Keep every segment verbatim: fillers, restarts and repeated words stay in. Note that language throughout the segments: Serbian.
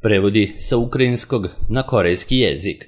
Prevodi sa ukrajinskog na korejski jezik.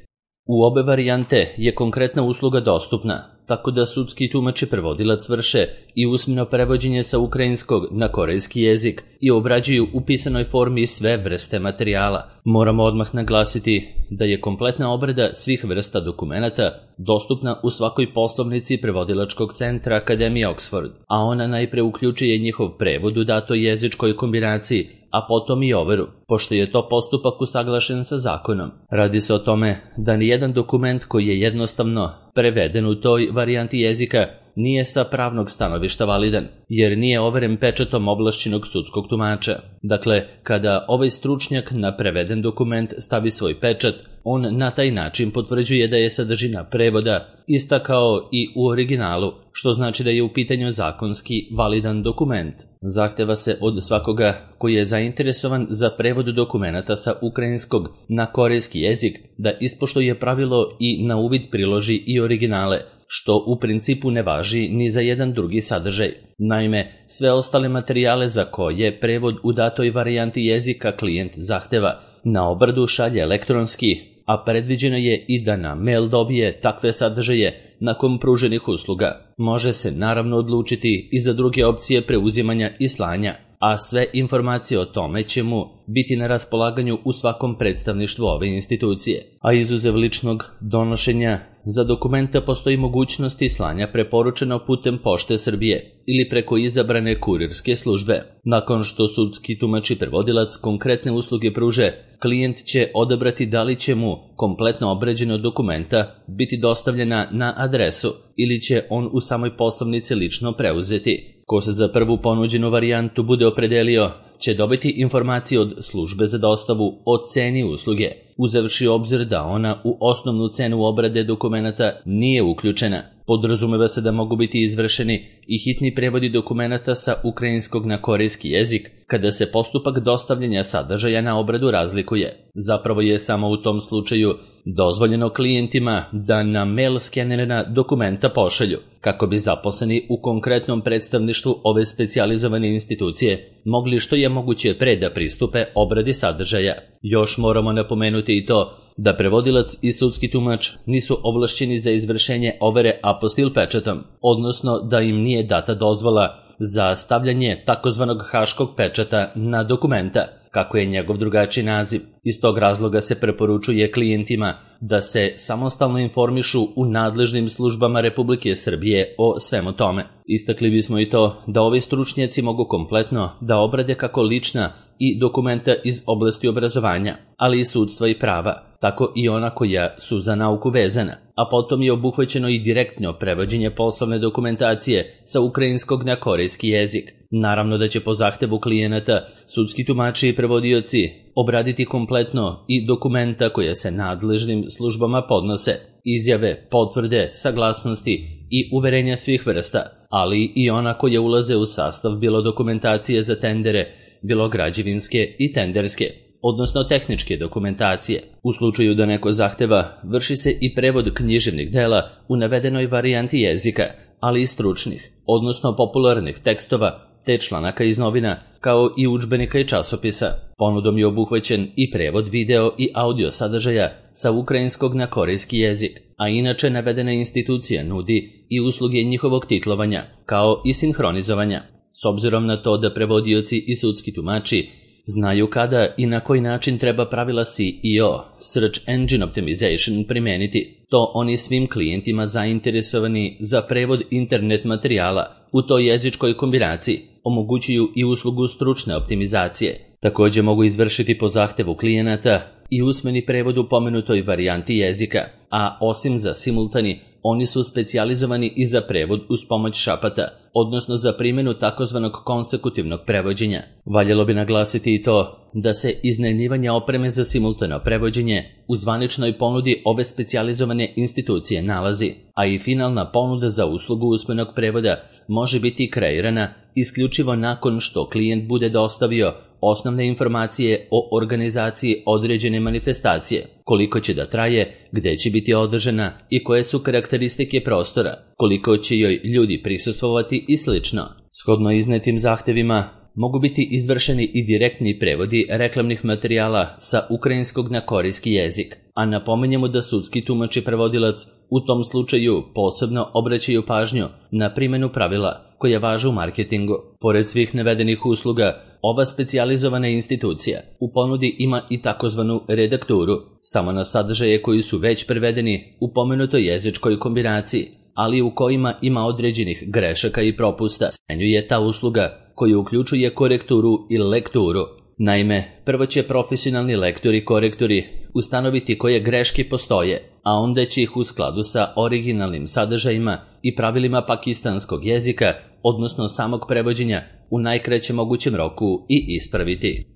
U obe varijante je konkretna usluga dostupna, tako da sudski tumač i prevodilac vrše i usmeno prevođenje sa ukrajinskog na korejski jezik i obrađuju u pisanoj formi sve vrste materijala. Moramo odmah naglasiti da je kompletna obrada svih vrsta dokumenata dostupna u svakoj poslovnici prevodilačkog centra Akademije Oxford, a ona najpre uključuje njihov prevod u datoj jezičkoj kombinaciji, a potom i overu, pošto je to postupak usaglašen sa zakonom. Radi se o tome da nijedan dokument koji je jednostavno preveden u toj varijanti jezika nije sa pravnog stanovišta validan, jer nije overen pečatom ovlašćenog sudskog tumača. Dakle, kada ovaj stručnjak na preveden dokument stavi svoj pečat, on na taj način potvrđuje da je sadržina prevoda ista kao i u originalu, što znači da je u pitanju zakonski validan dokument. Zahteva se od svakoga koji je zainteresovan za prevod dokumenata sa ukrajinskog na korejski jezik da ispoštuje pravilo i na uvid priloži i originale, što u principu ne važi ni za jedan drugi sadržaj. Naime, sve ostale materijale za koje prevod u datoj varijanti jezika klijent zahteva na obradu šalje elektronski, a predviđeno je i da na mail dobije takve sadržaje nakon pruženih usluga. Može se naravno odlučiti i za druge opcije preuzimanja i slanja, a sve informacije o tome će mu biti na raspolaganju u svakom predstavništvu ove institucije. A izuzev ličnog donošenja, za dokumenta postoji mogućnost slanja preporučeno putem Pošte Srbije ili preko izabrane kurirske službe. Nakon što sudski tumač i prevodilac konkretne usluge pruže, klijent će odabrati da li će mu kompletno obrađeno dokumenta biti dostavljena na adresu ili će on u samoj poslovnici lično preuzeti. Ko se za prvu ponuđenu varijantu bude opredelio, će dobiti informacije od službe za dostavu o ceni usluge, uzevši obzir da ona u osnovnu cenu obrade dokumenata nije uključena. Podrazumeva se da mogu biti izvršeni i hitni prevodi dokumenata sa ukrajinskog na korejski jezik kada se postupak dostavljanja sadržaja na obradu razlikuje. Zapravo je samo u tom slučaju dozvoljeno klijentima da na mail skenirana dokumenta pošalju, kako bi zaposleni u konkretnom predstavništvu ove specijalizovane institucije mogli što je moguće pre da pristupe obradi sadržaja. Još moramo napomenuti i to da prevodilac i sudski tumač nisu ovlašćeni za izvršenje overe apostil pečatom, odnosno da im nije data dozvola za stavljanje takozvanog haškog pečata na dokumenta, kako je njegov drugačiji naziv. Iz tog razloga se preporučuje klijentima da se samostalno informišu u nadležnim službama Republike Srbije o svemu tome. Istakli bismo i to da ovi stručnjaci mogu kompletno da obrade kako lična i dokumenta iz oblasti obrazovanja, ali i sudstva i prava, tako i ona koja su za nauku vezana, a potom je obuhvaćeno i direktno prevođenje poslovne dokumentacije sa ukrajinskog na korejski jezik. Naravno da će po zahtevu klijenata sudski tumači i prevodioci obraditi kompletno i dokumenta koje se nadležnim službama podnose, izjave, potvrde, saglasnosti i uverenja svih vrsta, ali i ona koje ulaze u sastav bilo dokumentacije za tendere, bilo građevinske i tenderske, odnosno tehničke dokumentacije. U slučaju da neko zahteva, vrši se i prevod književnih dela u navedenoj varijanti jezika, ali i stručnih, odnosno popularnih tekstova te članaka iz novina, kao i udžbenika i časopisa. Ponudom je obuhvaćen i prevod video i audio sadržaja sa ukrajinskog na korejski jezik, a inače navedena institucija nudi i usluge njihovog titlovanja, kao i sinhronizovanja. S obzirom na to da prevodioci i sudski tumači znaju kada i na koji način treba pravila S E O, Search Engine Optimization, primeniti, to oni svim klijentima zainteresovani za prevod internet materijala u toj jezičkoj kombinaciji omogućuju i uslugu stručne optimizacije. Također mogu izvršiti po zahtevu klijenata i usmeni prevod u pomenutoj varijanti jezika, a osim za simultani, oni su specijalizovani i za prevod uz pomoć šapata, odnosno za primjenu takozvanog konsekutivnog prevođenja. Valjalo bi naglasiti i to da se iznajmljivanje opreme za simultano prevođenje u zvaničnoj ponudi ove specijalizovane institucije nalazi, a i finalna ponuda za uslugu usmenog prevoda može biti kreirana isključivo nakon što klijent bude dostavio osnovne informacije o organizaciji određene manifestacije, koliko će da traje, gde će biti održana i koje su karakteristike prostora, koliko će joj ljudi prisustvovati i slično. Shodno iznetim zahtevima, mogu biti izvršeni i direktni prevodi reklamnih materijala sa ukrajinskog na korejski jezik, a napominjemo da sudski tumač i prevodilac u tom slučaju posebno obraćaju pažnju na primjenu pravila koja važe u marketingu. Pored svih navedenih usluga, ova specijalizovana institucija u ponudi ima i takozvanu redakturu, samo na sadržaje koji su već prevedeni u pomenutoj jezičkoj kombinaciji, ali u kojima ima određenih grešaka i propusta. Smenjuje ta usluga koja uključuje korekturu i lekturu. Naime, prvo će profesionalni lektori i korektori ustanoviti koje greške postoje, a onda će ih u skladu sa originalnim sadržajima i pravilima pakistanskog jezika, odnosno samog prevođenja, u najkraćem mogućem roku i ispraviti.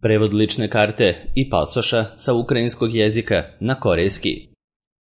Prevod lične karte i pasoša sa ukrajinskog jezika na korejski.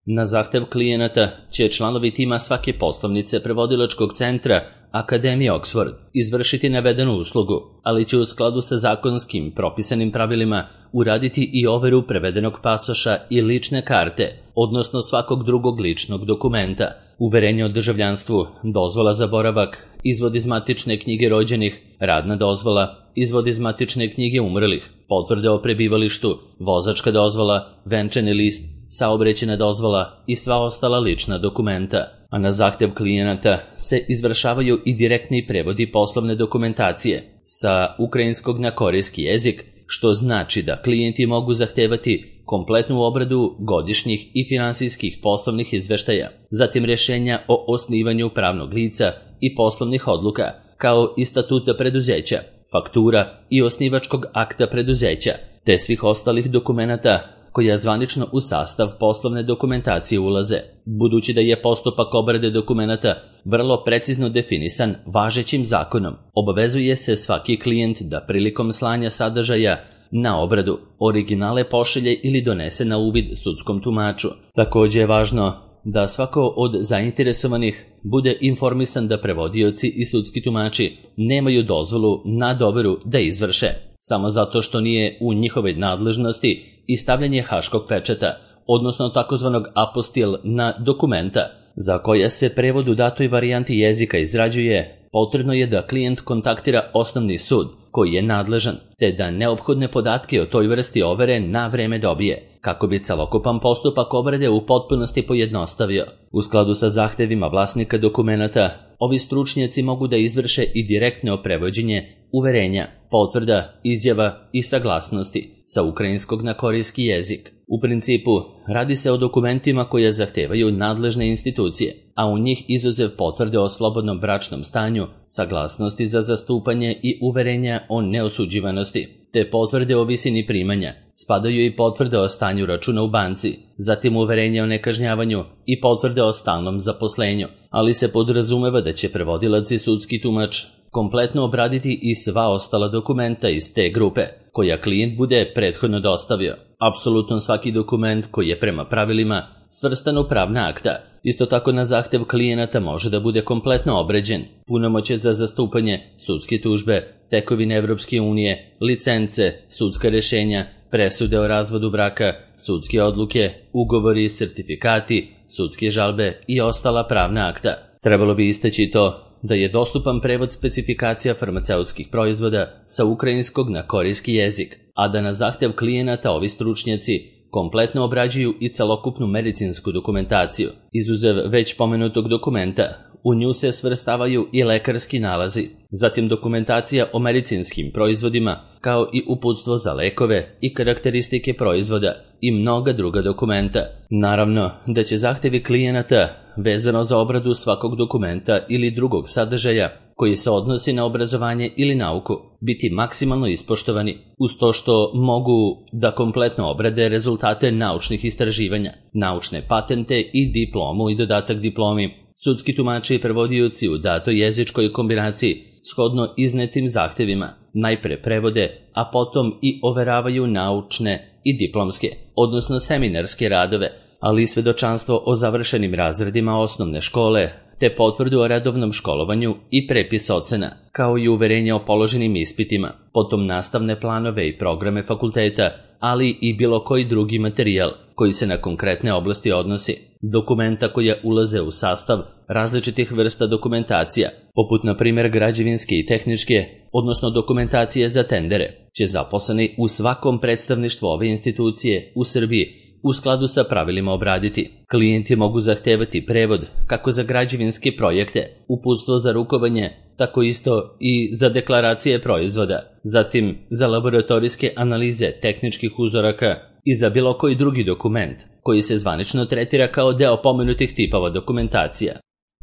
Na zahtev klijenata će članovi tima svake poslovnice prevodilačkog centra Akademije Oxford izvršiti navedenu uslugu, ali će u skladu sa zakonskim propisanim pravilima uraditi i overu prevedenog pasoša i lične karte, odnosno svakog drugog ličnog dokumenta, uverenje o državljanstvu, dozvola za boravak, izvod iz matične knjige rođenih, radna dozvola, izvod iz matične knjige umrlih, potvrde o prebivalištu, vozačka dozvola, venčani list, saobraćajna dozvola i sva ostala lična dokumenta. A na zahtev klijenata se izvršavaju i direktni prevodi poslovne dokumentacije sa ukrajinskog na korejski jezik, što znači da klijenti mogu zahtevati kompletnu obradu godišnjih i finansijskih poslovnih izveštaja, zatim rješenja o osnivanju pravnog lica i poslovnih odluka, kao i statuta preduzeća, faktura i osnivačkog akta preduzeća, te svih ostalih dokumenata koja zvanično u sastav poslovne dokumentacije ulaze. Budući da je postupak obrade dokumenata vrlo precizno definisan važećim zakonom, obavezuje se svaki klijent da prilikom slanja sadržaja na obradu originale pošalje ili donese na uvid sudskom tumaču. Također je važno da svako od zainteresovanih bude informisan da prevodioci i sudski tumači nemaju dozvolu na doveru da izvrše, samo zato što nije u njihovoj nadležnosti i stavljanje haškog pečata, odnosno takozvanog apostil na dokumenta, za koja se prevod u datoj varijanti jezika izrađuje, potrebno je da klijent kontaktira osnovni sud koji je nadležan, te da neophodne podatke o toj vrsti overe na vreme dobije, kako bi celokupan postupak obrade u potpunosti pojednostavio. U skladu sa zahtevima vlasnika dokumenata, ovi stručnjaci mogu da izvrše i direktno prevođenje uverenja, potvrda, izjava i saglasnosti sa ukrajinskog na korejski jezik. U principu, radi se o dokumentima koje zahtevaju nadležne institucije, a u njih izuzev potvrde o slobodnom bračnom stanju, saglasnosti za zastupanje i uverenja o neosuđivanosti, te potvrde o visini primanja, spadaju i potvrde o stanju računa u banci, zatim uverenje o nekažnjavanju i potvrde o stalnom zaposlenju, ali se podrazumeva da će prevodilac i sudski tumač kompletno obraditi i sva ostala dokumenta iz te grupe, koja klijent bude prethodno dostavio. Apsolutno svaki dokument koji je prema pravilima svrstan u pravna akta. Isto tako na zahtev klijenata može da bude kompletno obrađen, punomoćje za zastupanje, sudske tužbe, tekovine Evropske unije, licence, sudska rješenja, presude o razvodu braka, sudske odluke, ugovori, sertifikati, sudske žalbe i ostala pravna akta. Trebalo bi istaći to da je dostupan prevod specifikacija farmaceutskih proizvoda sa ukrajinskog na korejski jezik, a da na zahtev klijenata ovi stručnjaci kompletno obrađuju i celokupnu medicinsku dokumentaciju. Izuzev već pomenutog dokumenta, u nju se svrstavaju i lekarski nalazi, zatim dokumentacija o medicinskim proizvodima, kao i uputstvo za lekove i karakteristike proizvoda i mnoga druga dokumenta. Naravno da će zahtevi klijenata vezano za obradu svakog dokumenta ili drugog sadržaja koji se odnosi na obrazovanje ili nauku biti maksimalno ispoštovani, uz to što mogu da kompletno obrade rezultate naučnih istraživanja, naučne patente i diplomu i dodatak diplomi. Sudski tumači i prevodioci u datoj jezičkoj kombinaciji shodno iznetim zahtevima najpre prevode, a potom i overavaju naučne i diplomske, odnosno seminarske radove, ali i svedočanstvo o završenim razredima osnovne škole, te potvrdu o redovnom školovanju i prepis ocena, kao i uverenje o položenim ispitima, potom nastavne planove i programe fakulteta, ali i bilo koji drugi materijal koji se na konkretne oblasti odnosi, dokumenta koje ulaze u sastav različitih vrsta dokumentacija, poput na primjer građevinske i tehničke, odnosno dokumentacije za tendere, će zaposleni u svakom predstavništvu ove institucije u Srbiji u skladu sa pravilima obraditi. Klijenti mogu zahtevati prevod kako za građevinske projekte, uputstvo za rukovanje, tako isto i za deklaracije proizvoda, zatim za laboratorijske analize tehničkih uzoraka i za bilo koji drugi dokument koji se zvanično tretira kao deo pomenutih tipova dokumentacija.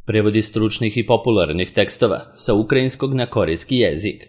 Prevodi stručnih i popularnih tekstova sa ukrajinskog na korejski jezik.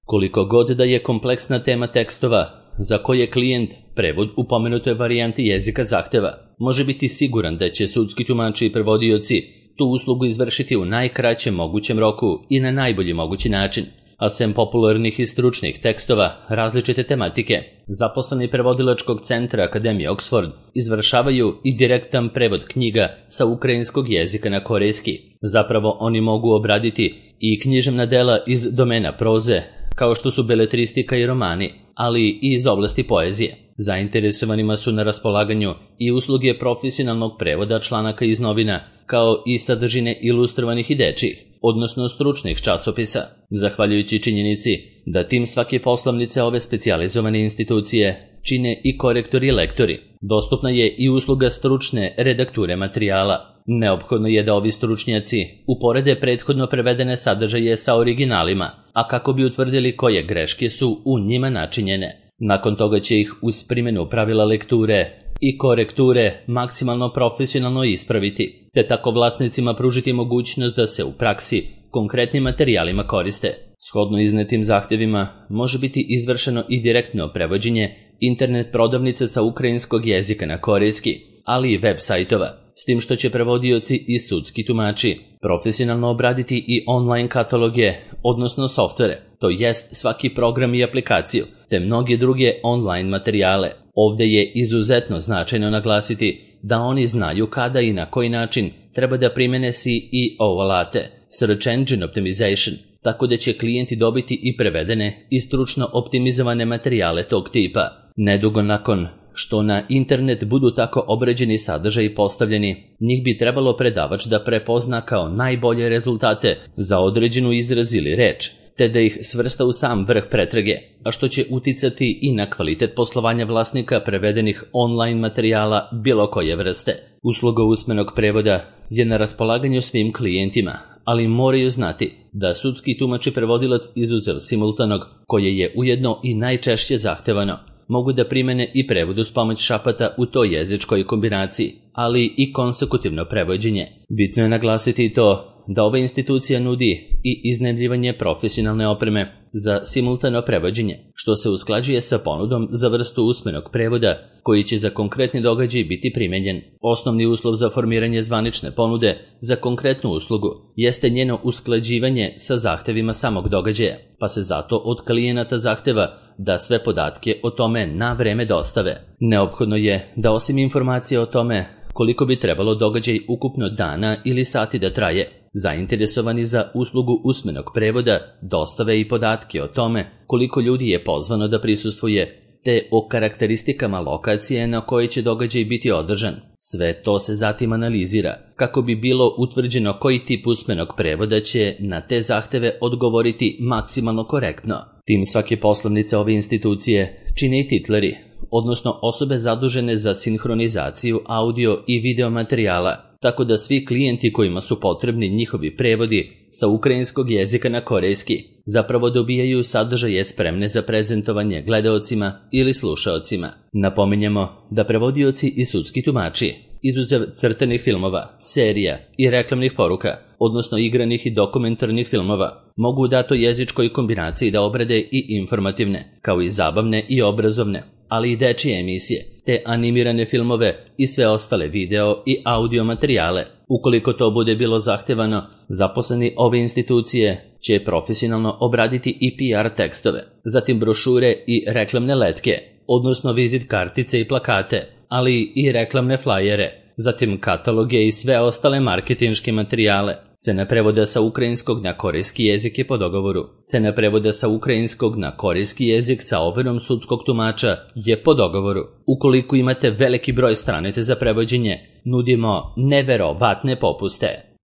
Koliko god da je kompleksna tema tekstova za koje klijent prevod u pomenutoj varijanti jezika zahteva, može biti siguran da će sudski tumači i prevodioci tu uslugu izvršiti u najkraćem mogućem roku i na najbolji mogući način, a sem popularnih i stručnih tekstova različite tematike, zaposleni prevodilačkog centra Akademije Oxford izvršavaju i direktan prevod knjiga sa ukrajinskog jezika na korejski. Zapravo oni mogu obraditi i književna dela iz domena proze, kao što su beletristika i romani, ali i iz oblasti poezije. Zainteresovanima su na raspolaganju i usluge profesionalnog prevoda članaka iz novina, kao i sadržine ilustrovanih i dečjih, odnosno stručnih časopisa. Zahvaljujući činjenici da tim svake poslovnice ove specijalizovane institucije čine i korektori i lektori, dostupna je i usluga stručne redakture materijala. Neophodno je da ovi stručnjaci uporede prethodno prevedene sadržaje sa originalima, a kako bi utvrdili koje greške su u njima načinjene. Nakon toga će ih uz primjenu pravila lekture i korekture maksimalno profesionalno ispraviti, te tako vlasnicima pružiti mogućnost da se u praksi konkretnim materijalima koriste. Shodno iznetim zahtjevima može biti izvršeno i direktno prevođenje internet prodavnice sa ukrajinskog jezika na korejski, ali i web sajtova, s tim što će prevodioci i sudski tumači profesionalno obraditi i online kataloge, odnosno softvere, to jest svaki program i aplikaciju, te mnoge druge online materijale. Ovdje je izuzetno značajno naglasiti da oni znaju kada i na koji način treba da primene S E O alate, Search Engine Optimization, tako da će klijenti dobiti i prevedene i stručno optimizovane materijale tog tipa. Nedugo nakon što na internet budu tako obrađeni sadržaji postavljeni, njih bi trebalo predavač da prepozna kao najbolje rezultate za određenu izraz ili reč, te da ih svrsta u sam vrh pretrage, a što će uticati i na kvalitet poslovanja vlasnika prevedenih online materijala bilo koje vrste. Usluga usmenog prevoda je na raspolaganju svim klijentima, ali moraju znati da sudski tumač i prevodilac izuzev simultanog, koje je ujedno i najčešće zahtevano, mogu da primene i prevod uz pomoć šapata u toj jezičkoj kombinaciji, ali i konsekutivno prevođenje. Bitno je naglasiti i to da ova institucija nudi i iznajmljivanje profesionalne opreme za simultano prevođenje, što se usklađuje sa ponudom za vrstu usmenog prevoda koji će za konkretni događaj biti primenjen. Osnovni uslov za formiranje zvanične ponude za konkretnu uslugu jeste njeno usklađivanje sa zahtevima samog događaja, pa se zato od klijenata zahteva da sve podatke o tome na vreme dostave. Neophodno je da osim informacije o tome koliko bi trebalo događaj ukupno dana ili sati da traje, zainteresovani za uslugu usmenog prevoda dostave i podatke o tome koliko ljudi je pozvano da prisustvuje, te o karakteristikama lokacije na kojoj će događaj biti održan. Sve to se zatim analizira kako bi bilo utvrđeno koji tip usmenog prevoda će na te zahteve odgovoriti maksimalno korektno. Tim svake poslovnice ove institucije čine i titleri, odnosno osobe zadužene za sinhronizaciju audio i video materijala, tako da svi klijenti kojima su potrebni njihovi prevodi sa ukrajinskog jezika na korejski zapravo dobijaju sadržaje spremne za prezentovanje gledaocima ili slušaocima. Napominjemo da prevodioci i sudski tumači, izuzev crtanih filmova, serija i reklamnih poruka, odnosno igranih i dokumentarnih filmova, mogu u datoj jezičkoj kombinaciji da obrade i informativne, kao i zabavne i obrazovne, ali i dečije emisije, te animirane filmove i sve ostale video i audio materijale. Ukoliko to bude bilo zahtevano, zaposleni ove institucije će profesionalno obraditi i P R tekstove, zatim brošure i reklamne letke, odnosno vizit kartice i plakate, ali i reklamne flajere, zatim kataloge i sve ostale marketinške materijale. Cena prevoda sa ukrajinskog na korejski jezik je po dogovoru. Cena prevoda sa ukrajinskog na korejski jezik sa overom sudskog tumača je po dogovoru. Ukoliko imate veliki broj stranice za prevođenje, nudimo neverovatne popuste.